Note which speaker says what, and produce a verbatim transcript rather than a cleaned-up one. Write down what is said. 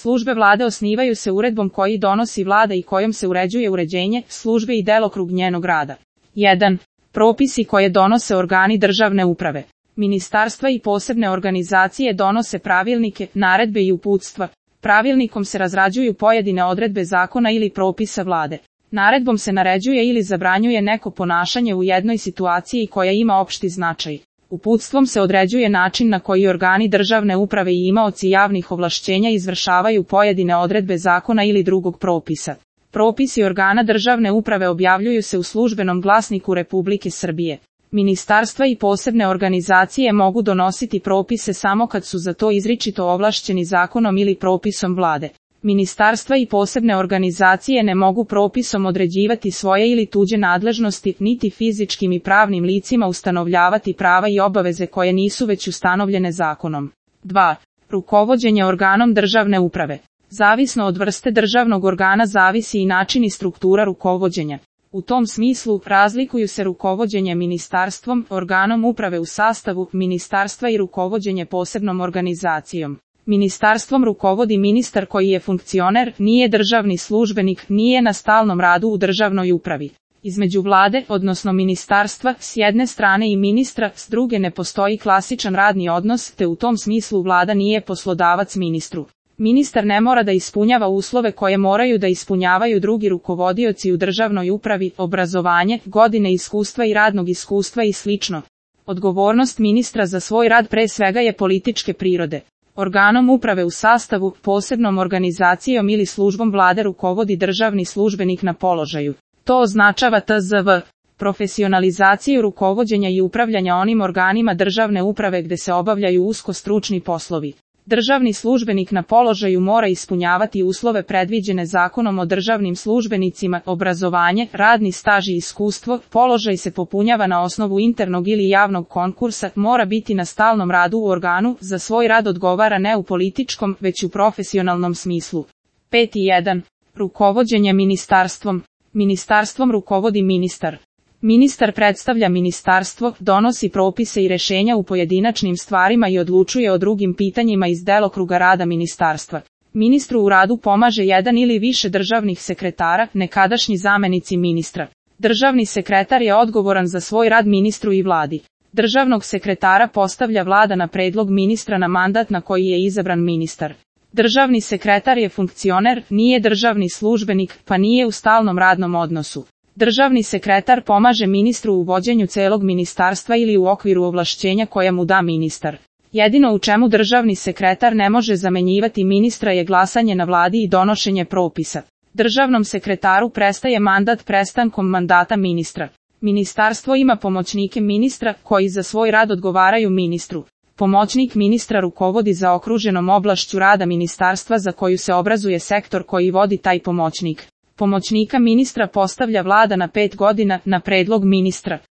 Speaker 1: Službe vlade osnivaju se uredbom koji donosi vlada i kojom se uređuje uređenje, službe i delokrug njenog rada. jedan. Propisi koje donose organi državne uprave. Ministarstva i posebne organizacije donose pravilnike, naredbe i uputstva. Pravilnikom se razrađuju pojedine odredbe zakona ili propisa vlade. Naredbom se naređuje ili zabranjuje neko ponašanje u jednoj situaciji koja ima opšti značaj. Uputstvom se određuje način na koji organi državne uprave i imaoci javnih ovlašćenja izvršavaju pojedine odredbe zakona ili drugog propisa. Propisi organa državne uprave objavljuju se u Službenom glasniku Republike Srbije. Ministarstva i posebne organizacije mogu donositi propise samo kad su za to izričito ovlašćeni zakonom ili propisom vlade. Ministarstva i posebne organizacije ne mogu propisom određivati svoje ili tuđe nadležnosti, niti fizičkim i pravnim licima ustanovljavati prava i obaveze koje nisu već ustanovljene zakonom. dva. Rukovođenje organom državne uprave. Zavisno od vrste državnog organa zavisi i način i struktura rukovođenja. U tom smislu, razlikuju se rukovođenje ministarstvom, organom uprave u sastavu ministarstva i rukovođenje posebnom organizacijom. Ministarstvom rukovodi ministar koji je funkcioner, nije državni službenik, nije na stalnom radu u državnoj upravi. Između vlade, odnosno ministarstva, s jedne strane i ministra, s druge ne postoji klasičan radni odnos, te u tom smislu vlada nije poslodavac ministru. Ministar ne mora da ispunjava uslove koje moraju da ispunjavaju drugi rukovodioci u državnoj upravi, obrazovanje, godine iskustva i radnog iskustva i slično. Odgovornost ministra za svoj rad pre svega je političke prirode. Organom uprave u sastavu, posebnom organizacijom ili službom vlade rukovodi državni službenik na položaju. To označava T Z V. Profesionalizaciju rukovođenja i upravljanja onim organima državne uprave gde se obavljaju usko stručni poslovi. Državni službenik na položaju mora ispunjavati uslove predviđene zakonom o državnim službenicima, obrazovanje, radni staž i iskustvo, položaj se popunjava na osnovu internog ili javnog konkursa, mora biti na stalnom radu u organu, za svoj rad odgovara ne u političkom, već u profesionalnom smislu. pet jedan. Rukovođenje ministarstvom. Ministarstvom rukovodi ministar. Ministar predstavlja ministarstvo, donosi propise i rešenja u pojedinačnim stvarima i odlučuje o drugim pitanjima iz delokruga rada ministarstva. Ministru u radu pomaže jedan ili više državnih sekretara, nekadašnji zamenici ministra. Državni sekretar je odgovoran za svoj rad ministru i vladi. Državnog sekretara postavlja vlada na predlog ministra na mandat na koji je izabran ministar. Državni sekretar je funkcioner, nije državni službenik, pa nije u stalnom radnom odnosu. Državni sekretar pomaže ministru u vođenju celog ministarstva ili u okviru ovlašćenja koja mu da ministar. Jedino u čemu državni sekretar ne može zamenjivati ministra je glasanje na vladi i donošenje propisa. Državnom sekretaru prestaje mandat prestankom mandata ministra. Ministarstvo ima pomoćnike ministra, koji za svoj rad odgovaraju ministru. Pomoćnik ministra rukovodi zaokruženom oblašću rada ministarstva za koju se obrazuje sektor koji vodi taj pomoćnik. Pomoćnika ministra postavlja vlada na pet godina, na predlog ministra.